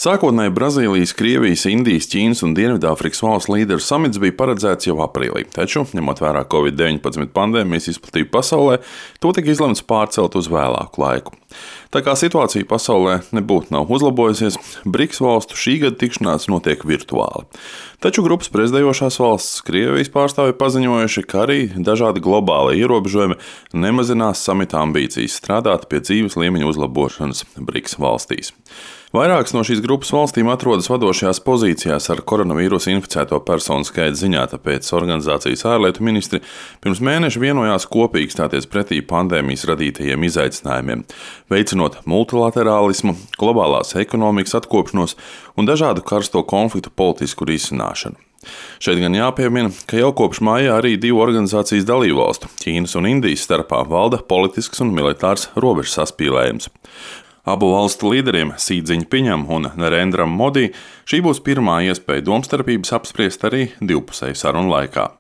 Sākotnēji Brazīlijas, Krievijas, Indijas, Ķīnas un Dienvidāfrikas valstu līderu samits bija paredzēts jau aprīlī, taču, ņemot vērā Covid-19 pandēmijas izplatību pasaulē, to tika izlemts pārcelt uz vēlāku laiku. Tā kā situācija pasaulē nebūtu nav uzlabojusies, BRICS valstu šī gada tikšanās notiek virtuāli. Taču grupas prezidējošās valsts Krievijas pārstāvji paziņojuši, ka arī dažādi globāli ierobežojumi nemazinās samita ambīcijas strādāt pie dzīves līmeņa uzlabošanas BRICS valstīs. Vairākas no šīs grupas valstīm atrodas vadošajās pozīcijās ar koronavīrusu inficēto personu skaita ziņā, tāpēc organizācijas ārlietu ministri pirms mēneša vienojās kopīgi stāties pretī pandēmijas radītajiem izaicinājumiem, veicinot multilaterālismu, globālās ekonomikas atkopšanos un dažādu karsto konfliktu politisku risināšanu. Šeit gan jāpiemina, ka jau kopš maijā arī divu organizācijas dalībvalstu, Ķīnas un Indijas starpā, valda politisks un militārs robežu saspīlējums. Abu valstu līderiem, Sī Dziņpiņam un Narendram Modi, šī būs pirmā iespēja domstarpības apspriest arī divpusēju sarunu laikā.